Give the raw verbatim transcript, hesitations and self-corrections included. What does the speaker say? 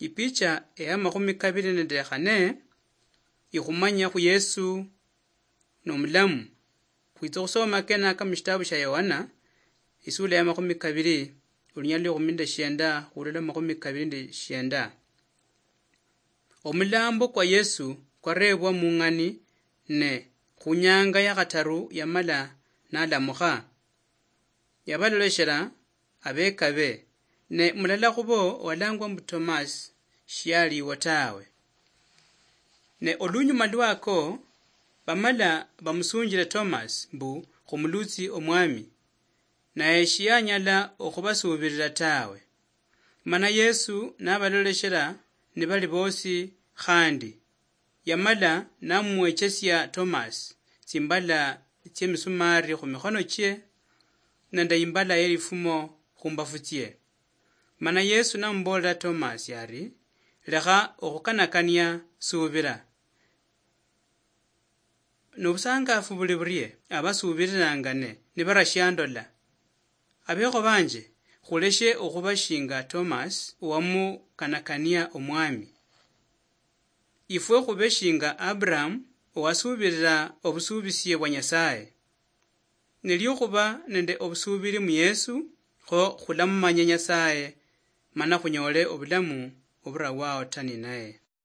Ipicha eya makhumi kabili nende khane ikhumanya khu Yesu nomulamu. Khwitsa khusoma kenaka mushitabu shia Yohana, isula ya makhumi kabili, olunyali lwa ekhumi nende shienda khulola makhumi kabili nende shienda. Omulambo kwa Yesu kwarebwa mung'ani, ne khunyanga ya khataru yamala nalamukha. Yabaloleshela abekabe, ne mulala khubo owalangwa mbu Tomasi shialiwo tawe. Ne olunyuma lwako, bamala bamusunjile Tomasi mbu khumulutsi Omwami, naye shianyala okhubasuubilila tawe. Mana Yesu nabaloleshela nibali bosi khandi, yamala namwechesia Tomasi tsimbala tsiemisumari khumikhono chie, nende imbala yelifumo khumbafu tsie. Mana Yesu namuboolera Tomasi ari, "Lekha okhukanakania, suubila." Nobusangafu buli burie abasuubililangane nibarashiandola. Abekho banje, khuleshe okhuba shinga Tomasi owamukanakania Omwami. Ifwe khube shinga Abraham owasuubilila obusuubisie bwa Nyasaye. Nilio khuba nende obusuubili mu Yesu, kho khulamumanya Nyasaye, mana khunyole obulamu oburawao ta ninaye.